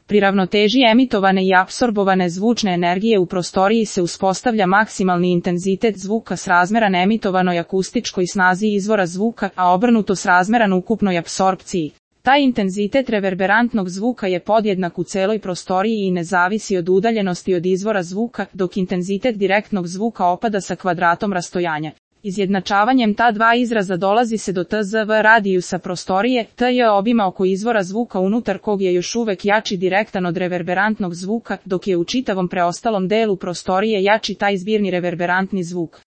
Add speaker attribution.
Speaker 1: Pri ravnoteži emitovane i apsorbovane zvučne energije u prostoriji se uspostavlja maksimalni intenzitet zvuka srazmeran emitovanoj akustičkoj snazi izvora zvuka, a obrnuto srazmeran ukupnoj apsorpciji. Taj intenzitet reverberantnog zvuka je podjednak u celoj prostoriji i ne zavisi od udaljenosti od izvora zvuka, dok intenzitet direktnog zvuka opada sa kvadratom rastojanja. Izjednačavanjem ta dva izraza dolazi se do tzv radijusa prostorije, tj obima oko izvora zvuka unutar kog je još uvek jači direktan od reverberantnog zvuka, dok je u čitavom preostalom delu prostorije jači taj zbirni reverberantni zvuk.